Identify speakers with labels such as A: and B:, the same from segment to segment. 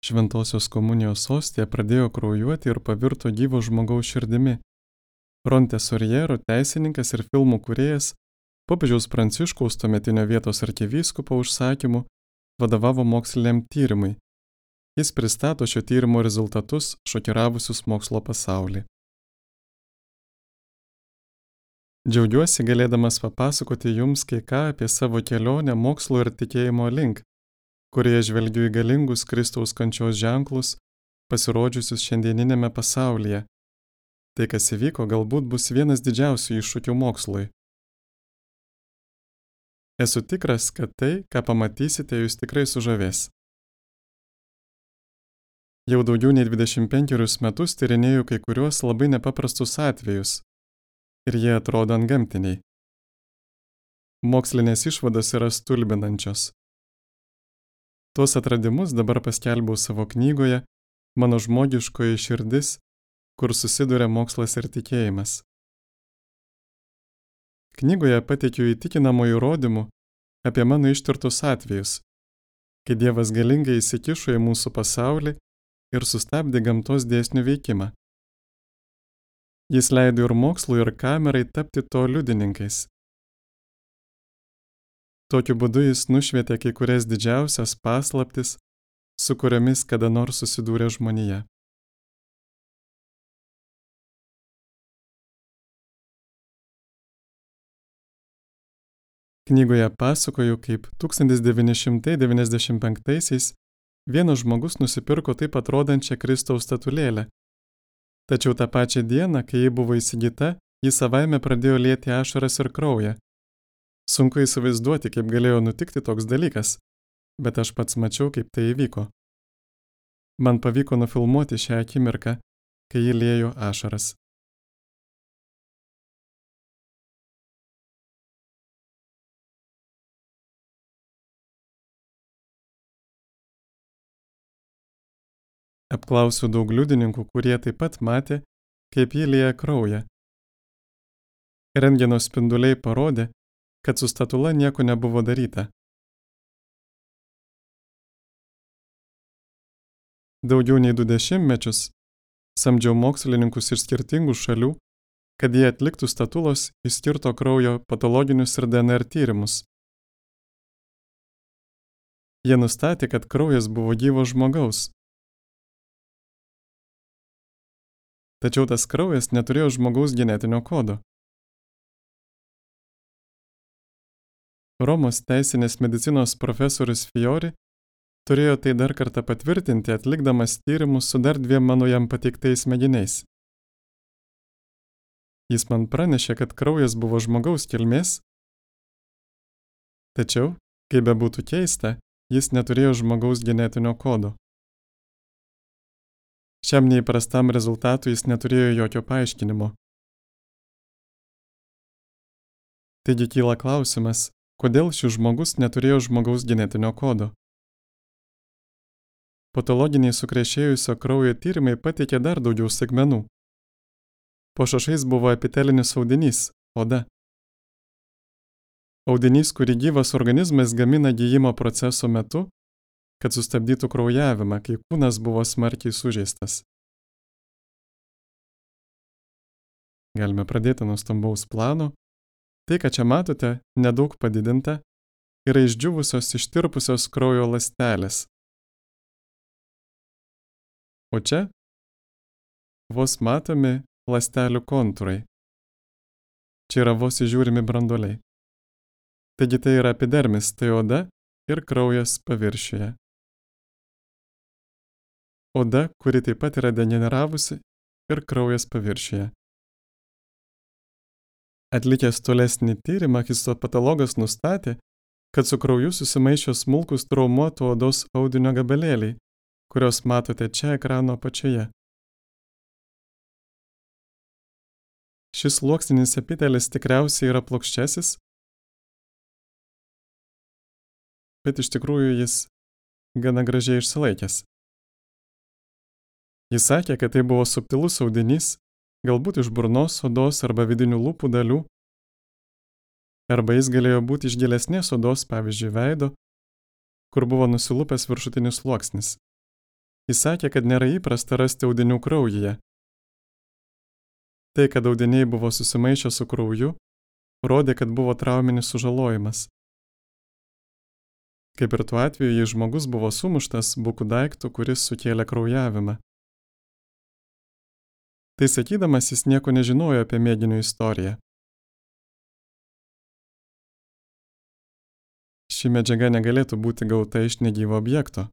A: Šventosios komunijos ostija pradėjo kraujuoti ir pavirto gyvo žmogaus širdimi. Ronte Sorjero, teisininkas ir filmų kūrėjas, popiežiaus Pranciškaus tuometinio vietos arkivyskupo užsakymu vadovavo moksliniam tyrimui. Jis pristato šio tyrimo rezultatus šokiravusius mokslo pasaulį. Džiaugiuosi galėdamas papasakoti jums kai ką apie savo kelionę mokslo ir tikėjimo link, kurioje žvelgiu į galingus Kristaus kančios ženklus, pasirodžiusius šiandieninėme pasaulyje. Tai, kas įvyko, galbūt bus vienas didžiausių iššūkių mokslui. Esu tikras, kad tai, ką pamatysite, jūs tikrai sužavės. Jau daugiau nei 25 metus tyrinėju kai kuriuos labai nepaprastus atvejus. Ir jie atrodo antgamtiniai. Mokslinės išvados yra stulbinančios. Tuos atradimus dabar paskelbiau savo knygoje Mano žmogiškoji širdis, kur susiduria mokslas ir tikėjimas. Knygoje pateikiu įtikinamų įrodymų apie mano ištirtus atvejus, kai Dievas galingai įsikišo į mūsų pasaulį ir sustabdė gamtos dėsnių veikimą. Jis leido ir mokslui, ir kamerai tapti to liudininkais. Tokiu būdu jis nušvietė kai kurias didžiausias paslaptis, su kuriomis kada nors susidūrė žmonija. Knygoje pasakoju, kaip 1995-aisiais vienas žmogus nusipirko taip atrodančią Kristaus statulėlę. Tačiau tą pačią dieną, kai ji buvo įsigyta, ji savaime pradėjo lieti ašaras ir kraują. Sunku įsivaizduoti, kaip galėjo nutikti toks dalykas, bet aš pats mačiau, kaip tai įvyko. Man pavyko nufilmuoti šią akimirką, kai ji liejo ašaras. Apklausiu daug liudininkų, kurie taip pat matė, kaip ji lieja kraują. Rentgeno spinduliai parodė, kad su statula nieko nebuvo daryta. Daugiau nei 20 metus samdžiau mokslininkus iš skirtingų šalių, kad jie atliktų statulos išskirto kraujo patologinius ir DNR tyrimus. Jie nustatė, kad kraujas buvo gyvo žmogaus. Tačiau tas kraujas neturėjo žmogaus genetinio kodo. Romos teisinės medicinos profesorius Fiori turėjo tai dar kartą patvirtinti, atlikdamas tyrimus su dar 2 mano jam pateiktais mėginiais. Jis man pranešė, kad kraujas buvo žmogaus kilmės, tačiau, kaip bebūtų keista, jis neturėjo žmogaus genetinio kodo. Šiam neįprastam rezultatui jis neturėjo jokio paaiškinimo. Taigi kyla klausimas, kodėl šis žmogus neturėjo žmogaus genetinio kodo. Patologiniai sukrešėjusio kraujo tyrimai pateikė dar daugiau segmenų. Po šašais buvo epitelinis audinys – oda. Audinys, kurį gyvas organizmas gamina gijimo proceso metu, kad sustabdytų kraujavimą, kai kūnas buvo smarkiai sužeistas. Galime pradėti nuo stambaus plano. Tai, ką čia matote, nedaug padidinta, yra išdžiūvusios ištirpusios kraujo ląstelės. O čia vos matomi ląstelių kontūrai. Čia yra vos įžiūrimi branduoliai. Taigi tai yra epidermis, tai oda ir kraujas paviršiuje. Oda, kuri taip pat yra degeneravusi, ir kraujas paviršiuje. Atlikęs tolesnį tyrimą, histopatologas nustatė, kad su krauju susimaišė smulkus traumuotų odos audinio gabalėliai, kuriuos matote čia ekrano apačioje. Šis sluoksninis epitelis tikriausiai yra plokščiasis, bet iš tikrųjų jis gana gražiai išsilaikęs. Jis sakė, kad tai buvo subtilus audinys, galbūt iš burnos odos arba vidinių lūpų dalių, arba jis galėjo būti iš gilesnės odos, pavyzdžiui, veido, kur buvo nusilupęs viršutinis sluoksnis. Jis sakė, kad nėra įprasta rasti audinių kraujyje. Tai, kad audiniai buvo susimaišę su krauju, rodė, kad buvo trauminis sužalojimas. Kaip ir tuo atveju, jei žmogus buvo sumuštas buku daiktu, kuris sukėlė kraujavimą. Tai sakydamas, jis nieko nežinojo apie mėginio istoriją. Ši medžiaga negalėtų būti gauta iš negyvo objekto.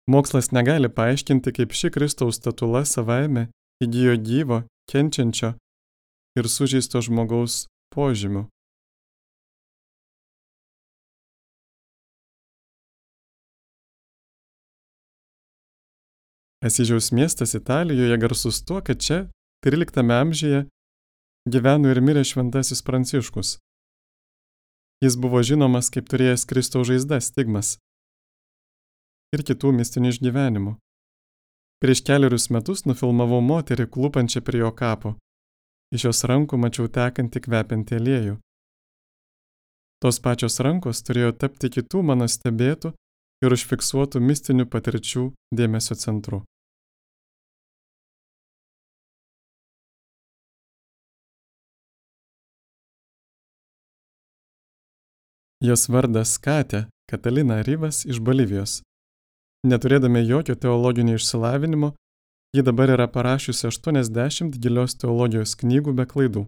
A: Mokslas negali paaiškinti, kaip ši Kristaus statula savaime įgijo gyvo, kenčiančio ir sužeisto žmogaus požymių. Asyžiaus miestas Italijoje garsus tuo, kad čia 13 amžiuje gyveno ir mirė šventasis Pranciškus. Jis buvo žinomas kaip turėjęs Kristaus žaizdas, stigmas ir kitų mistinių išgyvenimų. Prieš kelerius metus nufilmavau moterį klūpančią prie jo kapo. Iš jos rankų mačiau tekantį kvepiantį aliejų. Tos pačios rankos turėjo tapti kitų mano stebėtų ir užfiksuotų mistinių patirčių dėmesio centru. Jos vardas Katė Katalina Rivas iš Bolivijos. Neturėdama jokio teologinio išsilavinimo, ji dabar yra parašiusi 80 gilios teologijos knygų be klaidų.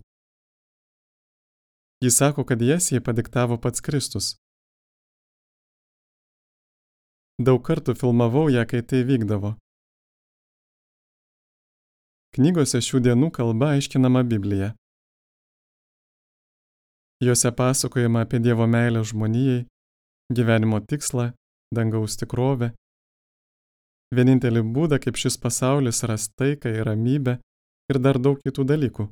A: Ji sako, kad jas jai padiktavo pats Kristus. Daug kartų filmavau ją, kai tai vykdavo. Knygose šių dienų kalba aiškinama Biblija. Jose pasakojama apie Dievo meilę žmonijai, gyvenimo tikslą, dangaus tikrovę, vienintelį būdą, kaip šis pasaulis ras taiką ir ramybę ir dar daug kitų dalykų.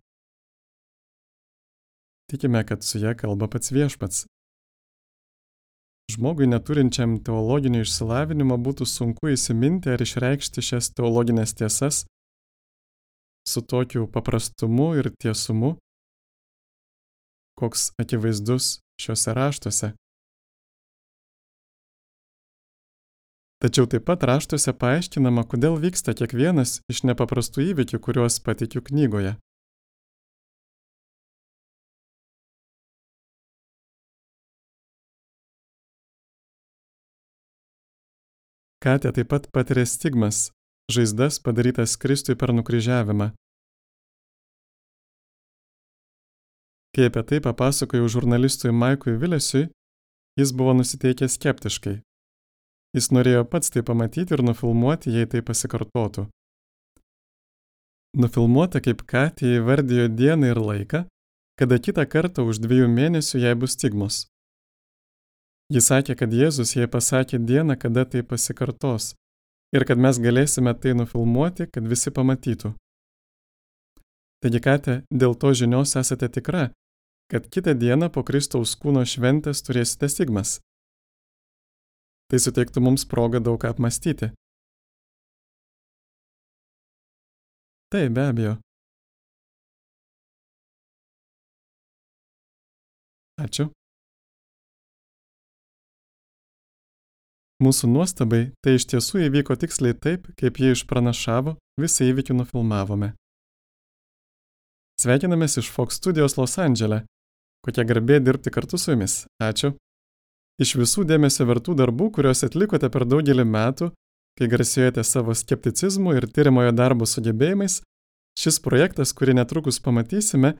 A: Tikime, kad su ja kalba pats Viešpats. Žmogui neturinčiam teologinio išsilavinimo būtų sunku įsiminti ar išreikšti šias teologinės tiesas su tokiu paprastumu ir tiesumu, koks akivaizdus šiuose raštuose. Tačiau taip pat raštuose paaiškinama, kodėl vyksta kiekvienas iš nepaprastų įvykių, kuriuos pateikiu knygoje. Katė taip pat patiria stigmas, žaizdas padarytas Kristui per nukryžiavimą. Kai apie tai papasakojau žurnalistui Maikui Vilesiui, jis buvo nusiteikęs skeptiškai. Jis norėjo pats tai pamatyti ir nufilmuoti, jei tai pasikartotų. Nufilmuota, kaip Katė įvardijo dieną ir laiką, kada kitą kartą už 2 mėnesių jai bus stigmos. Jis sakė, kad Jėzus jai pasakė dieną, kada tai pasikartos, ir kad mes galėsime tai nufilmuoti, kad visi pamatytų. Taigi, Katė, dėl to žinios esate tikra, kad kitą dieną po Kristaus kūno šventės turėsite stigmas. Tai suteiktų mums progą daug ką apmąstyti. Taip, be abejo. Ačiū. Mūsų nuostabai tai iš tiesų įvyko tiksliai taip, kaip jie išpranašavo, visą įvykį nufilmavome. Sveikinamės iš Fox studijos Los Andžele. Kokia garbė dirbti kartu su jumis. Ačiū. Iš visų dėmesio vertų darbų, kuriuos atlikote per daugelį metų, kai garsėjote savo skepticizmu ir tyriamojo darbo sugebėjimais, šis projektas, kurį netrukus pamatysime,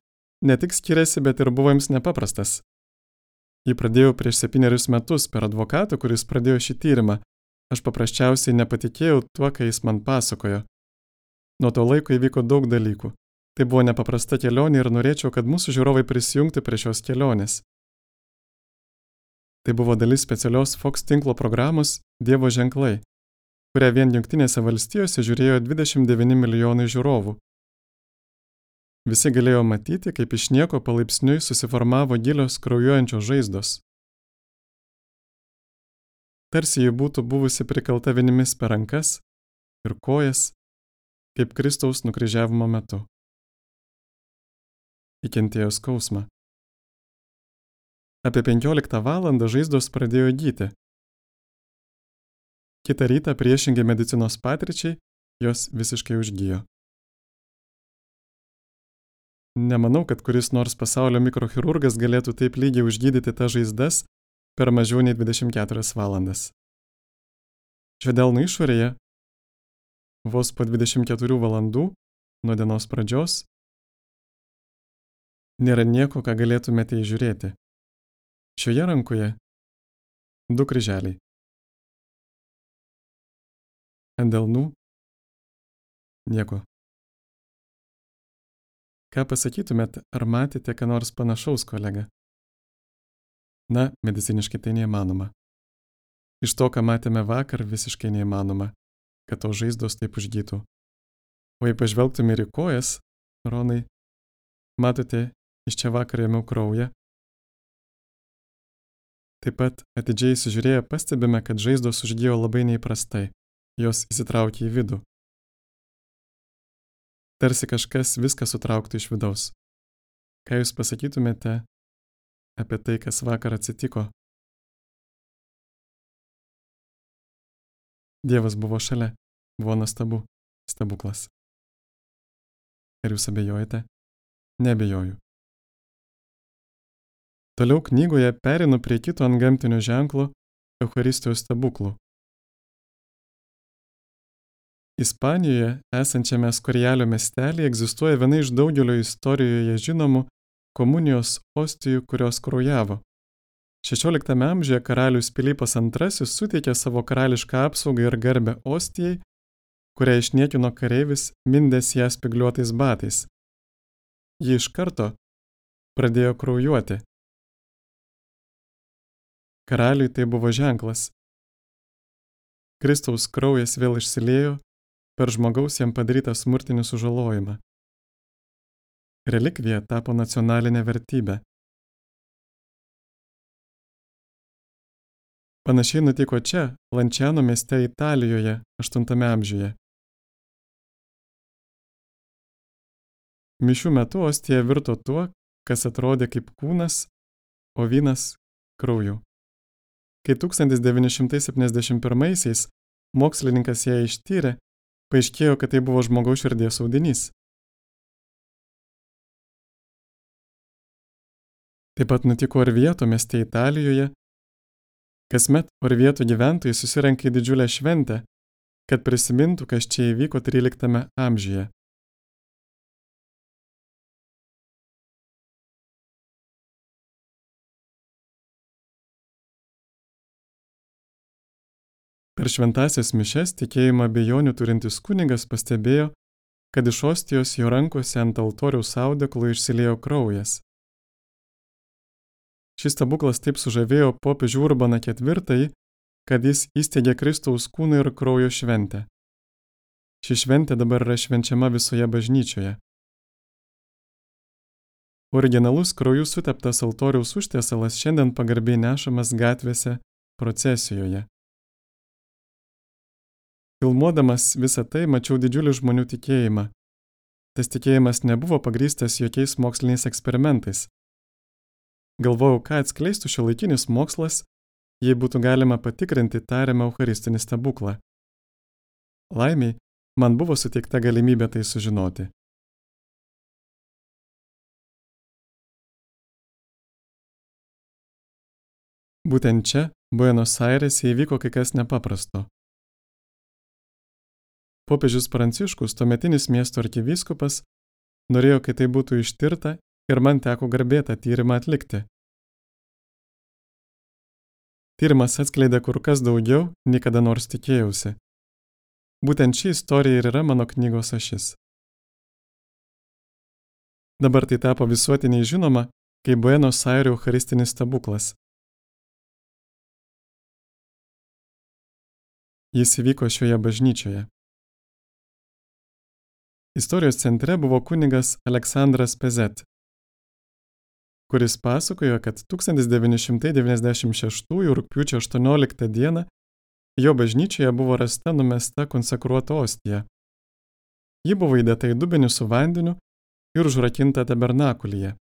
A: ne tik skiriasi, bet ir buvo jums nepaprastas. Jį pradėjau prieš 7 metus per advokatą, kuris pradėjo šį tyrimą. Aš paprasčiausiai nepatikėjau tuo, ką jis man pasakojo. Nuo to laiko įvyko daug dalykų. Tai buvo nepaprasta kelionė ir norėčiau, kad mūsų žiūrovai prisijungtų prie šios kelionės. Tai buvo dalis specialios Fox tinklo programos Dievo ženklai, kurią vien Jungtinėse valstijose žiūrėjo 29 milijonai žiūrovų. Visi galėjo matyti, kaip iš nieko palaipsniui susiformavo gilios kraujuojančios žaizdos. Tarsi ji būtų buvusi prikalta vinimis per rankas ir kojas, kaip Kristaus nukryžiavimo metu. Įkentėjo skausmą. Apie 15 valandą žaizdos pradėjo gyti. Kitą rytą priešingai medicinos patirčiai jos visiškai užgijo. Nemanau, kad kuris nors pasaulio mikrochirurgas galėtų taip lygiai užgydyti tas žaizdas per mažiau nei 24 valandas. Šio delno išorėje vos po 24 valandų nuo dienos pradžios nėra nieko, ką galėtumėte įžiūrėti. Šioje rankoje 2 kryželiai. Ant delnų nieko. Ką pasakytumėt, ar matėte ką nors panašaus, kolega? Na, mediciniškai tai neįmanoma. Iš to, ką matėme vakar, visiškai neįmanoma, kad tos žaizdos taip užgytų. O jei pažvelgtume ir į kojas, Ronai, matote, iš čia vakar ėmiau kraują. Taip pat atidžiai įsižiūrėję pastebime, kad žaizdos užgijo labai neįprastai, jos įsitraukė į vidų. Tarsi kažkas viską sutrauktų iš vidaus. Ką jūs pasakytumėte apie tai, kas vakar atsitiko? Dievas buvo šalia, buvo nuostabu, stebuklas. Ar jūs abejojate? Neabejoju. Toliau knygoje perinu prie kito antgamtinio ženklo Eucharistijos stebuklų. Ispanijoje esančiame Skorialio miestelėje egzistuoja viena iš daugelio istorijoje žinomų komunijos ostijų, kurios kraujavo. 16 amžiuje karalius Pilypas II suteikė savo karališką apsaugą ir garbę ostijai, kurią išniekino kareivis mindęs ją spygliuotais batais. Ji iš karto pradėjo kraujuoti. Karaliui tai buvo ženklas. Kristaus kraujas vėl išsiliejo per žmogaus jam padarytą smurtinį sužalojimą. Relikvija tapo nacionalinė vertybė. Panašiai nutiko čia, Lanciano mieste Italijoje, 8 amžiuje. Mišių metu ostija virto tuo, kas atrodė kaip kūnas, o vynas krauju. Kai 1971-aisiais mokslininkas ją ištyrė, paaiškėjo, kad tai buvo žmogaus širdies audinys. Taip pat nutiko Orvieto mieste Italijoje. Kasmet Orvieto gyventojai susirenka į didžiulę šventę, kad prisimintų, kas čia įvyko 13 amžiuje. Per šventąsias mišias tikėjimo abejonių turintis kunigas pastebėjo, kad iš ostijos jo rankose ant altoriaus audeklo išsiliejo kraujas. Šis stebuklas taip sužavėjo popiežių Urbaną IV, kad jis įsteigė Kristaus kūno ir kraujo šventę. Ši šventė dabar yra švenčiama visoje bažnyčioje. Originalus krauju suteptas altoriaus užtiesalas šiandien pagarbiai nešamas gatvėse procesijoje. Filmuodamas visą tai mačiau didžiulį žmonių tikėjimą. Tas tikėjimas nebuvo pagrįstas jokiais moksliniais eksperimentais. Galvojau, ką atskleistų šiuolaikinis mokslas, jei būtų galima patikrinti tariamą eucharistinį stebuklą. Laimiai, man buvo suteikta galimybė tai sužinoti. Būtent čia, Buenos Airėse, įvyko kai kas nepaprasto. Popiežius Pranciškus, tuometinis miesto arkivyskupas, norėjo, kad tai būtų ištirta ir man teko garbė tą tyrimą atlikti. Tyrimas atskleidė kur kas daugiau, nei kada nors tikėjausi. Būtent ši istorija ir yra mano knygos ašis. Dabar tai tapo visuotiniai žinoma, kaip Buenos Airių eucharistinis stebuklas. Jis įvyko šioje bažnyčioje. Istorijos centre buvo kunigas Aleksandras Pezet, kuris pasakojo, kad 1996 rugpjūčio 18 dieną jo bažnyčioje buvo rasta numesta konsekruota ostija. Ji buvo įdėta į dubenį su vandeniu ir užrakinta tabernakulyje.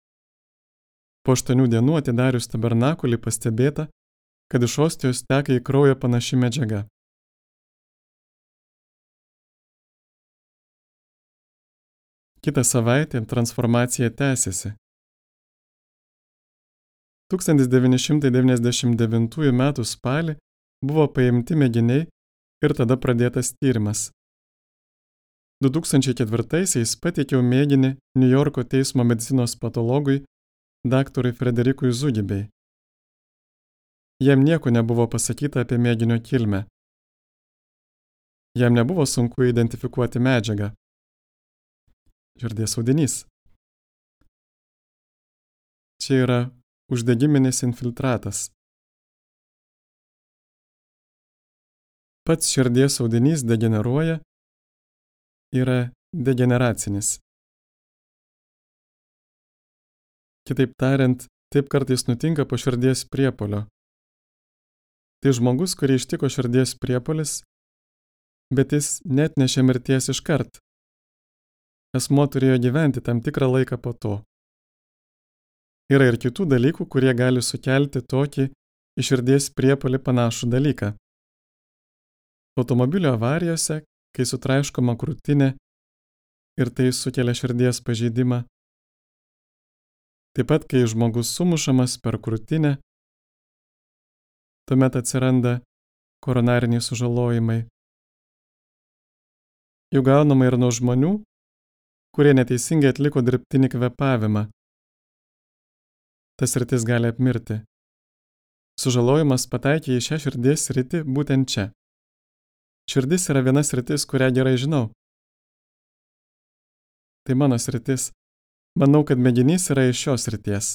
A: Po 8 dienų atidarius tabernakulį pastebėta, kad iš ostijos teka į kraują panaši medžiaga. Kitą savaitę transformacija tęsėsi. 1999 m. spalį buvo paimti mėginiai ir tada pradėtas tyrimas. 2004-aisiais pateikiau mėginį New Yorko teismo medicinos patologui daktarui Frederikui Zugibei. Jam nieko nebuvo pasakyta apie mėginio kilmę. Jam nebuvo sunku identifikuoti medžiagą. Širdies audinys. Čia yra uždegiminis infiltratas. Pats širdies audinys degeneruoja, yra degeneracinis. Kitaip tariant, taip kartais nutinka po širdies priepuolio. Tai žmogus, kurį ištiko širdies priepuolis, bet jis neatnešė mirties iškart. Asmuo turėjo gyventi tam tikrą laiką po to. Yra ir kitų dalykų, kurie gali sukelti tokį į širdies priepuolį panašų dalyką. Automobilio avarijose, kai sutraiškoma krūtinė ir tai sukelia širdies pažeidimą. Taip pat, kai žmogus sumušamas per krūtinę, tuomet atsiranda koronariniai sužalojimai. Jų gaunama ir nuo žmonių, kurie neteisingai atliko dirbtinį kvėpavimą. Tas sritis gali apmirti. Sužalojimas pataikė į šią širdies sritį būtent čia. Širdis yra viena sritis, kurią gerai žinau. Tai mano sritis. Manau, kad mėginys yra iš šios srities.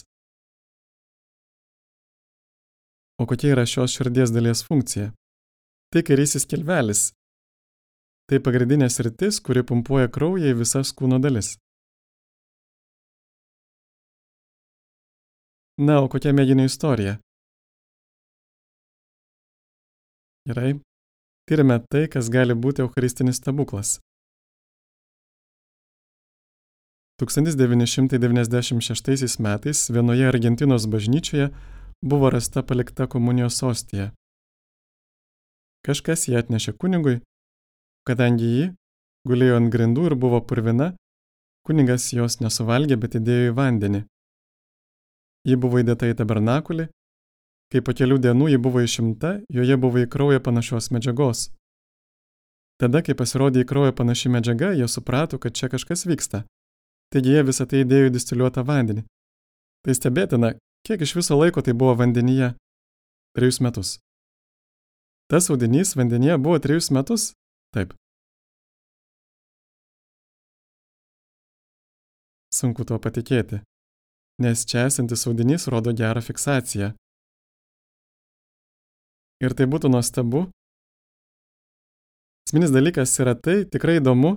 A: O kokia yra šios širdies dalies funkcija? Tai kairysis skilvelis. Tai pagrindinė sritis, kuri pumpuoja kraują į visas kūno dalis. Na, o kokia mėginio istorija? Gerai. Tyrime tai, kas gali būti eucharistinis stebuklas. 1996 metais vienoje Argentinos bažnyčioje buvo rasta palikta komunijos ostija. Kažkas ją atnešė kunigui, kadangi ji gulėjo ant grindų ir buvo purvina, kunigas jos nesuvalgė, bet įdėjo į vandenį. Ji buvo įdėta į tabernakulį, kai po kelių dienų ji buvo išimta, joje buvo į kraują panašios medžiagos. Tada, kai pasirodė į kraują panaši medžiaga, jie suprato, kad čia kažkas vyksta. Taigi jie visą tai įdėjo į distiliuotą vandenį. Tai stebėtina, kiek iš viso laiko tai buvo vandenyje? 3 metus. Tas audinys vandenyje buvo 3 metus? Taip. Sunku tuo patikėti, nes čia esantis audinys rodo gerą fiksaciją. Ir tai būtų nuostabu. Esminis dalykas yra tai, tikrai įdomu,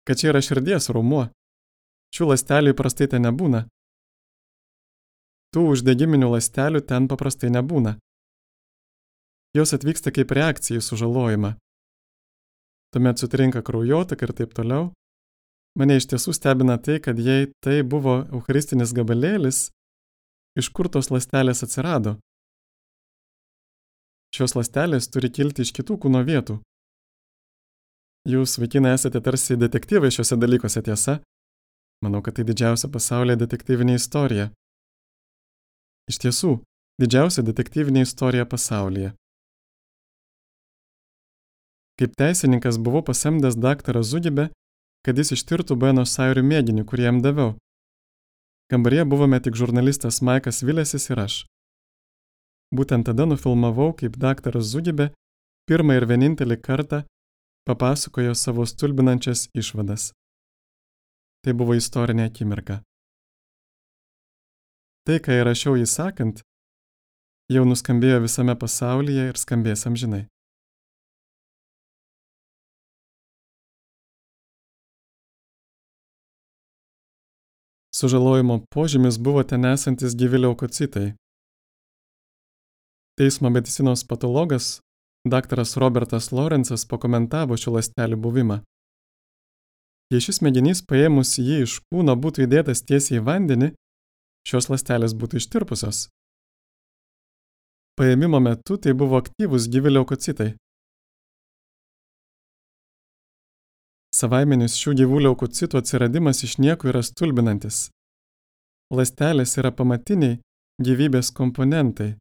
A: kad čia yra širdies raumuo. Šių ląstelių įprastai ten nebūna. Tų uždegiminių ląstelių ten paprastai nebūna. Jos atvyksta kaip reakcija į sužalojimą. Tuomet sutrinka kraujotaka ir taip toliau. Mane iš tiesų stebina tai, kad jei tai buvo eucharistinis gabalėlis, iš kur tos ląstelės atsirado? Šios ląstelės turi kilti iš kitų kūno vietų. Jūs, vaikinai, esate tarsi detektyvai šiuose dalykuose, tiesa? Manau, kad tai didžiausia pasaulyje detektyvinė istorija. Iš tiesų, didžiausia detektyvinė istorija pasaulyje. Kaip teisininkas buvau pasamdęs daktarą Zugibę, kad jis ištirtų Buenos Airių mėginį, kurį jam daviau. Kambaryje buvome tik žurnalistas Maikas Vilesis ir aš. Būtent tada nufilmavau, kaip daktaras Zugibė pirmą ir vienintelį kartą papasakojo savo stulbinančias išvadas. Tai buvo istorinė akimirka. Tai, ką įrašiau jį sakant, jau nuskambėjo visame pasaulyje ir skambės amžinai. Sužalojimo požymis buvo ten esantis gyvi leukocitai. Teismo medicinos patologas, daktaras Robertas Lorenzas, pakomentavo šių ląstelių buvimą. Jei šis mėginys paėmus jį iš kūno būtų įdėtas tiesiai į vandenį, šios ląstelės būtų ištirpusios. Paėmimo metu tai buvo aktyvūs gyvi leukocitai. Savaiminis šių gyvų leukocitų atsiradimas iš nieko yra stulbinantis. Ląstelės yra pamatiniai gyvybės komponentai.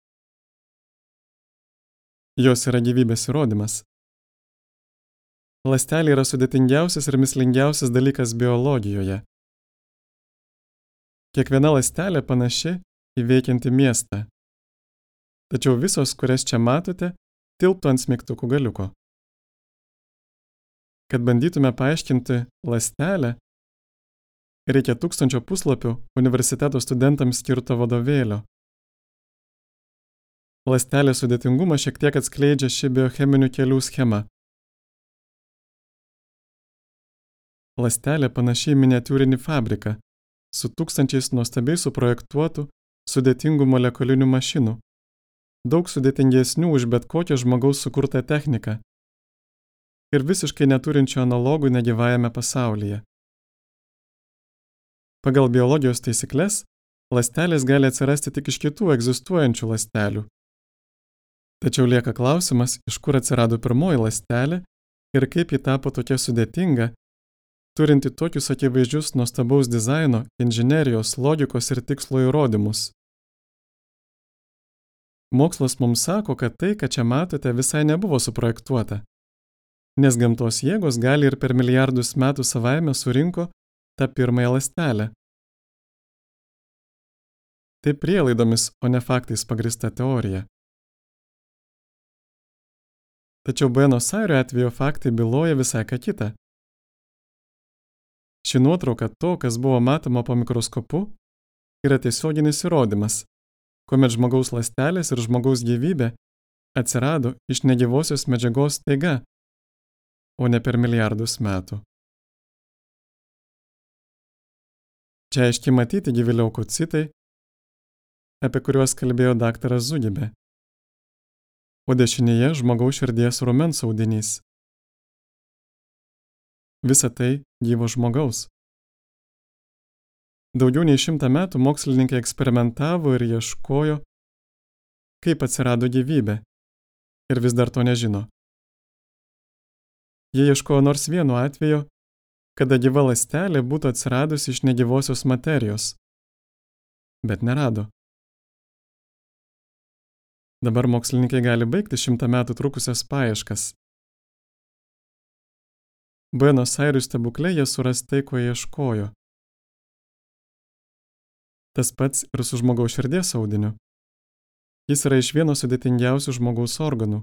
A: Jos yra gyvybės įrodymas. Ląstelė yra sudėtingiausias ir mįslingiausias dalykas biologijoje. Kiekviena ląstelė panaši į veikiantį miestą. Tačiau visos, kurias čia matote, tilptų ant smeigtukų galiuko. Kad bandytume paaiškinti ląstelę, reikia 1000 puslapių universiteto studentams skirto vadovėlio. Ląstelės sudėtingumą šiek tiek atskleidžia ši biocheminių kelių schema. Ląstelė panaši į miniatiūrinį fabriką su 1000 nuostabiai suprojektuotų sudėtingų molekulinių mašinų, daug sudėtingesnių už bet kokią žmogaus sukurtą techniką ir visiškai neturinčių analogų negyvajame pasaulyje. Pagal biologijos taisykles, ląstelės gali atsirasti tik iš kitų egzistuojančių ląstelių. Tačiau lieka klausimas, iš kur atsirado pirmoji ląstelė ir kaip ji tapo tokia sudėtinga, turinti tokius akivaizdžius nuostabaus dizaino, inžinerijos, logikos ir tikslo įrodymus. Mokslas mums sako, kad tai, ką čia matote, visai nebuvo suprojektuota, nes gamtos jėgos gali ir per milijardus metų savaime surinko tą pirmąją ląstelę. Tai prielaidomis, o ne faktais pagrįsta teorija. Tačiau Buenos Airio atveju faktai byloja visai ką kitą. Ši nuotrauka to, kas buvo matoma po mikroskopu, yra tiesioginis įrodymas, kuomet žmogaus ląstelės ir žmogaus gyvybė atsirado iš negyvosios medžiagos staiga, o ne per milijardus metų. Čia aiškiai matyti gyvi leukocitai, apie kuriuos kalbėjo daktaras Zugibė, o dešinėje žmogaus širdies raumens audinys. Visa tai gyvo žmogaus. Daugiau nei 100 metų mokslininkai eksperimentavo ir ieškojo, kaip atsirado gyvybė, ir vis dar to nežino. Jie ieškojo nors vieno atvejo, kada gyva ląstelė būtų atsiradusi iš negyvosios materijos, bet nerado. Dabar mokslininkai gali baigti 100 metų trukusias paieškas. Buenos Airių stebukle jie suras tai, ko ieškojo. Tas pats ir su žmogaus širdies audiniu. Jis yra iš vieno sudėtingiausių žmogaus organų.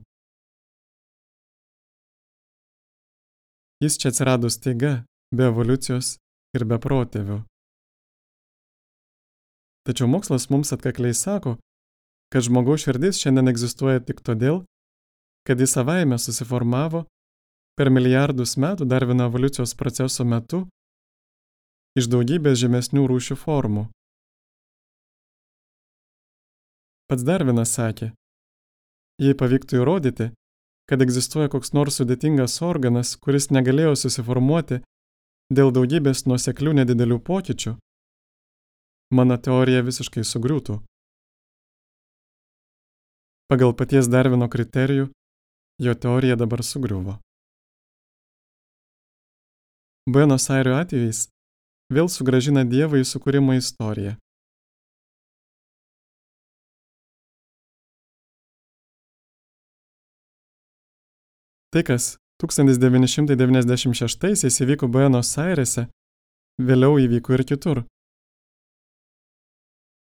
A: Jis čia atsirado staiga, be evoliucijos ir be protėvių. Tačiau mokslas mums atkakliai sako, kad žmogaus širdis šiandien egzistuoja tik todėl, kad jis savaime susiformavo per milijardus metų Darvino evoliucijos proceso metu iš daugybės žemesnių rūšių formų. Pats Darvinas sakė, jei pavyktų įrodyti, kad egzistuoja koks nors sudėtingas organas, kuris negalėjo susiformuoti dėl daugybės nuoseklių nedidelių pokyčių, mano teorija visiškai sugriūtų. Pagal paties Darvino kriterijų, jo teorija dabar sugriuvo. Buenos Airio atvejais vėl sugrąžina Dievą į sukūrimo istoriją. Tai, kas 1996-aisiais įvyko Buenos Airėse, vėliau įvyko ir kitur.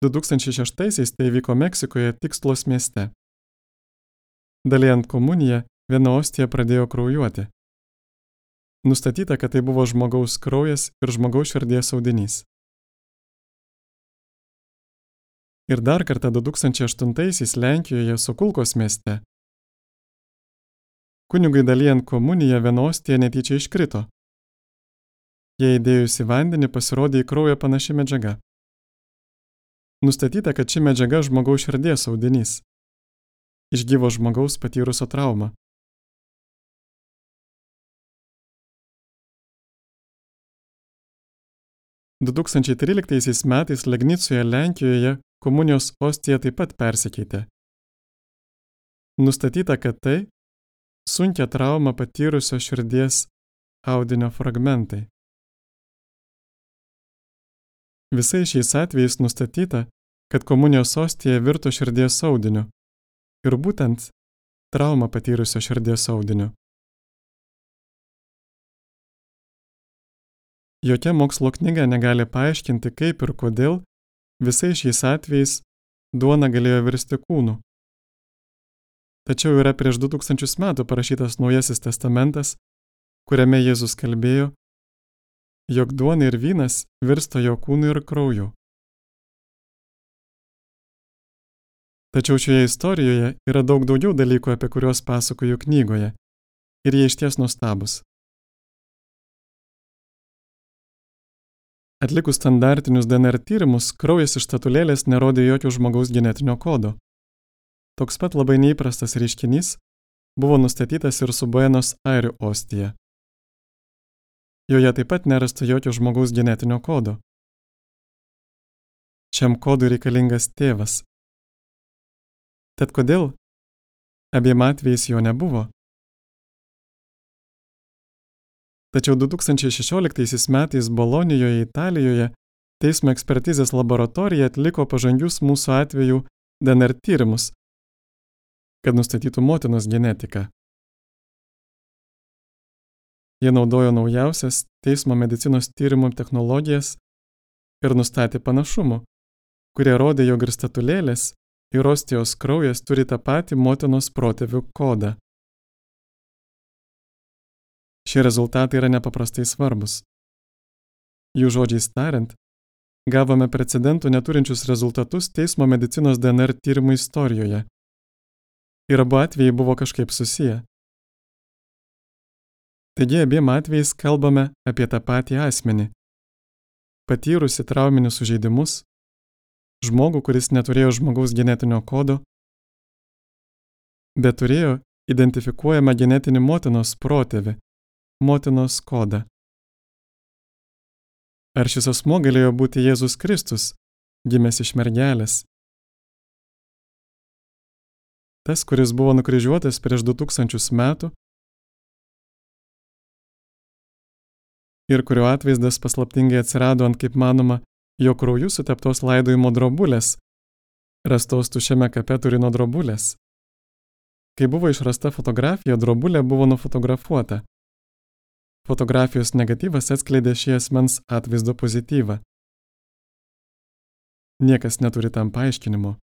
A: 2006-aisiais tai įvyko Meksikoje, Tikslos mieste. Dalijant komuniją, viena ostija pradėjo kraujuoti. Nustatyta, kad tai buvo žmogaus kraujas ir žmogaus širdies audinys. Ir dar kartą 2008-aisiais Lenkijoje, Sokulkos mieste. Kunigui dalijant komuniją viena ostija netyčia iškrito. Jei įdėjus į vandenį pasirodė į kraują panaši medžiaga. Nustatyta, kad ši medžiaga žmogaus širdies audinys. Iš gyvo žmogaus patyrusio traumą. – 2013 metais Legnicoje, Lenkijoje, komunijos ostija taip pat persikeitė. Nustatyta, kad tai sunkią traumą patyrusio širdies audinio fragmentai. Visais šiais atvejais nustatyta, kad komunijos ostija virto širdies audiniu ir būtent traumą patyrusio širdies audiniu. Jokia mokslo knyga negali paaiškinti, kaip ir kodėl visais šiais atvejais duona galėjo virsti kūnu. Tačiau yra prieš 2000 metų parašytas Naujasis testamentas, kuriame Jėzus kalbėjo, jog duona ir vynas virsta jo kūnu ir krauju. Tačiau šioje istorijoje yra daug daugiau dalykų, apie kuriuos pasakoju knygoje, ir jie išties nuostabus. Atlikus standartinius DNR tyrimus, kraujas iš statulėlės nerodė jokio žmogaus genetinio kodo. Toks pat labai neįprastas reiškinys buvo nustatytas ir su Buenos Airių ostija. Joje taip pat nerasta jokio žmogaus genetinio kodo. Šiam kodui reikalingas tėvas. Tad kodėl abiem atvejais jo nebuvo? Tačiau 2016 metais Bolonijoje, Italijoje, teismo ekspertizės laboratorija atliko pažangius mūsų atvejų DNR tyrimus, kad nustatytų motinos genetiką. Jie naudojo naujausias teismo medicinos tyrimų technologijas ir nustatė panašumų, kurie rodė, jog ir statulėlės, ir ostijos kraujas turi tą patį motinos protėvių kodą. Šie rezultatai yra nepaprastai svarbus. Jų žodžiais tariant, gavome precedentų neturinčius rezultatus teismo medicinos DNR tyrimų istorijoje. Ir abu atvejai buvo kažkaip susiję. Taigi abiem atvejais kalbame apie tą patį asmenį, patyrusi trauminius sužeidimus, žmogų, kuris neturėjo žmogaus genetinio kodo, bet turėjo identifikuojamą genetinį motinos protėvį, motinos kodą. Ar šis asmuo galėjo būti Jėzus Kristus, gimęs iš mergelės? Tas, kuris buvo nukryžiuotas prieš 2000 metų ir kurio atvaizdas paslaptingai atsirado ant, kaip manoma, jo krauju suteptos laidojimo drobulės, rastos tuščiame kape Turino drobulės. Kai buvo išrasta fotografija, drobulė buvo nufotografuota. Fotografijos negatyvas atskleidė šį asmens atvaizdo pozityvą. Niekas neturi tam paaiškinimo.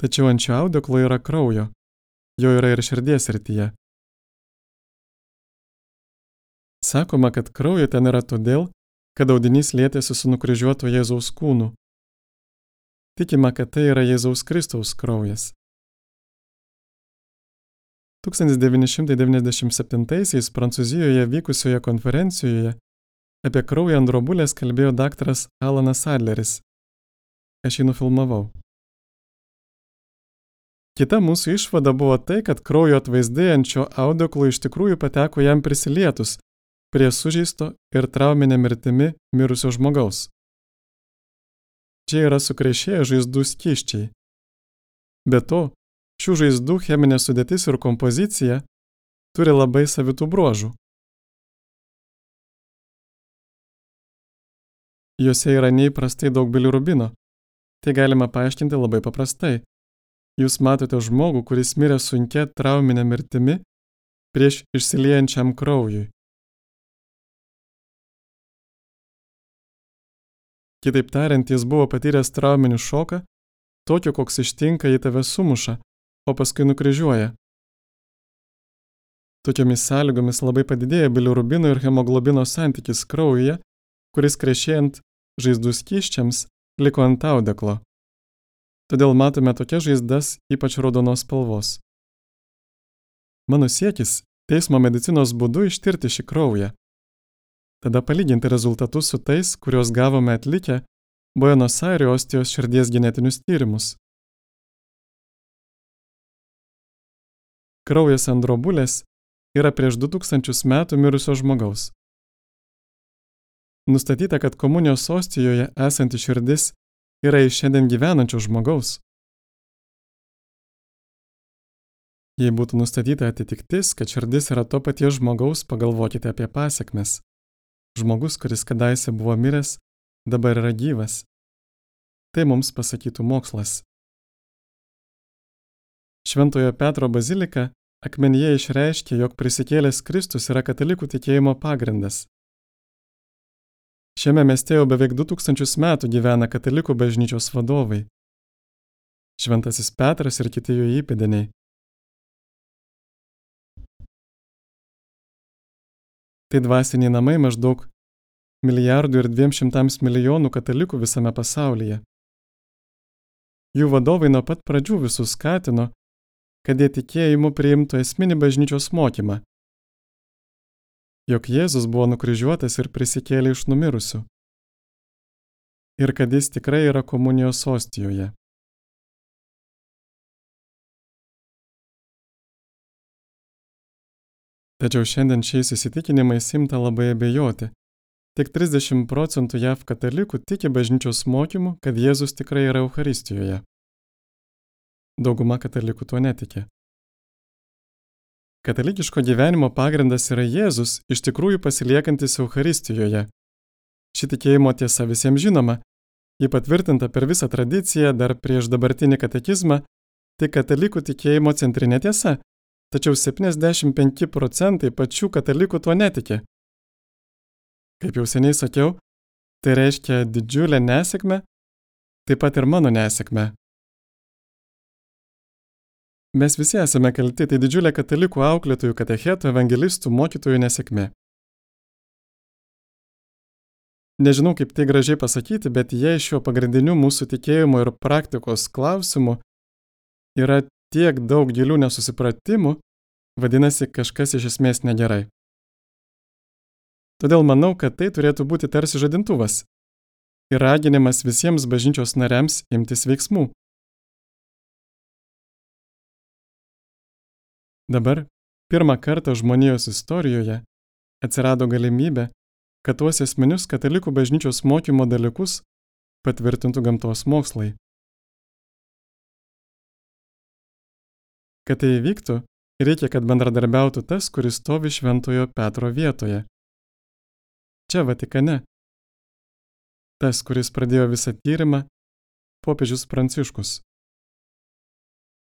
A: Tačiau ant šio audeklo yra kraujo, jo yra ir širdies srityje. Sakoma, kad kraujo ten yra todėl, kad audinys lietėsi su nukryžiuoto Jėzaus kūnu. Tikima, kad tai yra Jėzaus Kristaus kraujas. 1997 Prancūzijoje vykusioje konferencijoje apie kraują ant drobulės kalbėjo daktaras Alanas Adleris. Aš jį nufilmavau. Kita mūsų išvada buvo tai, kad kraujo atvaizdai ant šio audeklo iš tikrųjų pateko jam prisilietus prie sužeisto ir trauminė mirtimi mirusio žmogaus. Čia yra sukrešėję žaizdų skysčiai. Be to, šių žaizdų cheminė sudėtis ir kompozicija turi labai savitų bruožų. Juose yra neįprastai daug bilirubino. Tai galima paaiškinti labai paprastai. Jūs matote žmogų, kuris mirė sunkia trauminė mirtimi prieš išsiliejančiam kraujui. Kitaip tariant, jis buvo patyręs trauminį šoką, tokio, koks ištinka, jei tave sumuša, o paskui nukryžiuoja. Tokiomis sąlygomis labai padidėja bilirubino ir hemoglobino santykis kraujuje, kuris krešėjant žaizdų skysčiams liko ant audeklo. Todėl matome tokias žaizdas ypač raudonos spalvos. Mano siekis teismo medicinos būdu ištirti šį kraują. Tada palyginti rezultatus su tais, kuriuos gavome atlikę Buenos Airių ostijos širdies genetinius tyrimus. Kraujas ant drobulės yra prieš 2000 metų mirusio žmogaus. Nustatyta, kad komunijos ostijoje esanti širdis yra iš šiandien gyvenančio žmogaus. Jei būtų nustatyta atitiktis, kad širdis yra to paties žmogaus, pagalvokite apie pasekmes. Žmogus, kuris kadaise buvo miręs, dabar yra gyvas. Tai mums pasakytų mokslas. Šventojo Petro bazilika akmenyje išreiškė, jog prisikėlęs Kristus yra katalikų tikėjimo pagrindas. Šiame mieste jau beveik 2000 metų gyvena katalikų bažnyčios vadovai. Šventasis Petras ir kiti jo įpėdiniai. Tai dvasiniai namai maždaug 1,2 milijardo katalikų visame pasaulyje. Jų vadovai nuo pat pradžių visus skatino, kad jie tikėjimu priimtų esminį bažnyčios mokymą, jog Jėzus buvo nukryžiuotas ir prisikėlė iš numirusių, ir kad jis tikrai yra komunijos ostijoje. Tačiau šiandien šiais įsitikinimais imta labai abejoti. Tik 30% JAV katalikų tiki bažnyčios mokymu, kad Jėzus tikrai yra Eucharistijoje. Dauguma katalikų tuo netiki. Katalikiško gyvenimo pagrindas yra Jėzus, iš tikrųjų pasiliekantis Eucharistijoje. Ši tikėjimo tiesa visiems žinoma, ji patvirtinta per visą tradiciją dar prieš dabartinį katekizmą, tai katalikų tikėjimo centrinė tiesa, tačiau 75% pačių katalikų tuo netiki. Kaip jau seniai sakiau, tai reiškia didžiulę nesėkmę, taip pat ir mano nesėkmę. Mes visi esame kalti, tai didžiulė katalikų auklėtojų, katechetų, evangelistų, mokytojų nesėkmė. Nežinau, kaip tai gražiai pasakyti, bet jei šiuo pagrindiniu mūsų tikėjimo ir praktikos klausimu yra tiek daug gilių nesusipratimų, vadinasi, kažkas iš esmės negerai. Todėl manau, kad tai turėtų būti tarsi žadintuvas ir raginimas visiems bažnyčios nariams imtis veiksmų. Dabar, pirmą kartą žmonijos istorijoje atsirado galimybė, kad tuos esminius katalikų bažnyčios mokymo dalykus patvirtintų gamtos mokslai. Kad tai įvyktų, reikia, kad bendradarbiautų tas, kuris stovi Šventojo Petro vietoje. Čia Vatikane. Tas, kuris pradėjo visą tyrimą, popiežius Pranciškus.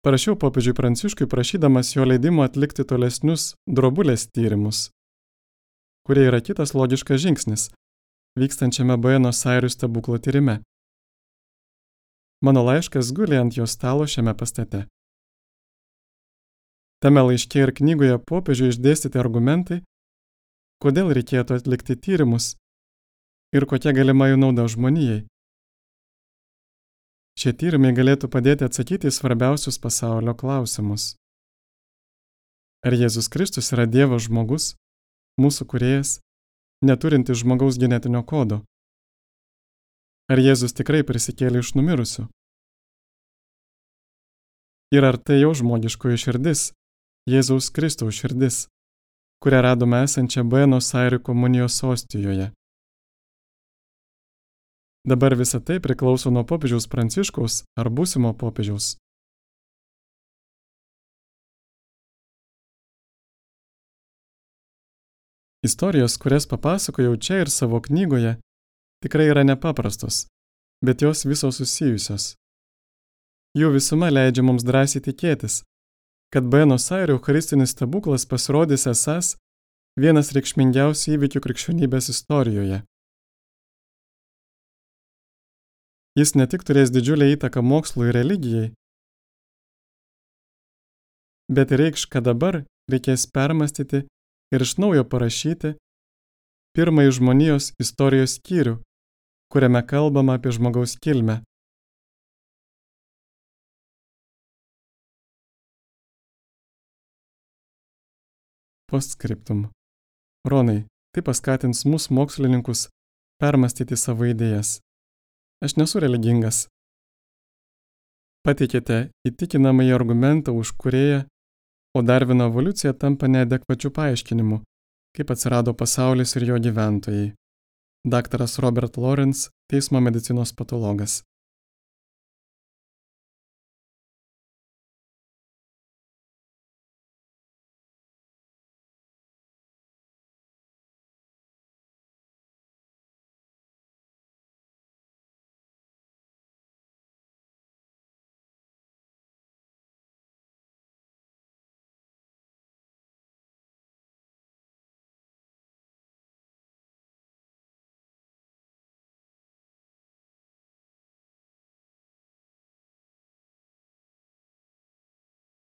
A: Parašiau popiežiui Pranciškui prašydamas jo leidimo atlikti tolesnius drobulės tyrimus, kurie yra kitas logiškas žingsnis, vykstančiame Buenos Airių stebuklo tyrime. Mano laiškas guli ant jo stalo šiame pastate. Tame laiške ir knygoje popiežiui išdėstyti argumentai, kodėl reikėtų atlikti tyrimus ir kokia galima jų nauda žmonijai. Šie tyrimai galėtų padėti atsakyti į svarbiausius pasaulio klausimus. Ar Jėzus Kristus yra Dievo žmogus, mūsų kūrėjas, neturintis žmogaus genetinio kodo? Ar Jėzus tikrai prisikėlė iš numirusių? Ir ar tai jau žmogiškoji širdis, Jėzaus Kristaus širdis, kurią radome esančią Buenos Airių komunijos ostijoje? Dabar visa tai priklauso nuo popiežiaus Pranciškaus ar būsimo popiežiaus. Istorijos, kurias papasakojau čia ir savo knygoje, tikrai yra nepaprastos, bet jos visos susijusios. Jų visuma leidžia mums drąsiai tikėtis, kad Buenos Airių eucharistinis stebuklas pasirodys esąs vienas reikšmingiausių įvykių krikščionybės istorijoje. Jis ne tik turės didžiulę įtaką mokslui ir religijai, bet ir reikš, kad dabar reikės permastyti ir iš naujo parašyti pirmąjį žmonijos istorijos skyrių, kuriame kalbama apie žmogaus kilmę. Postscriptum. Ronai, tai paskatins mūsų mokslininkus permastyti savo idėjas. Aš nesu religingas. Pateikėte įtikinamąjį argumentą už kūrėją, o Darvino evoliucija tampa neadekvačių paaiškinimų, kaip atsirado pasaulis ir jo gyventojai. Daktaras Robert Lawrence, teismo medicinos patologas.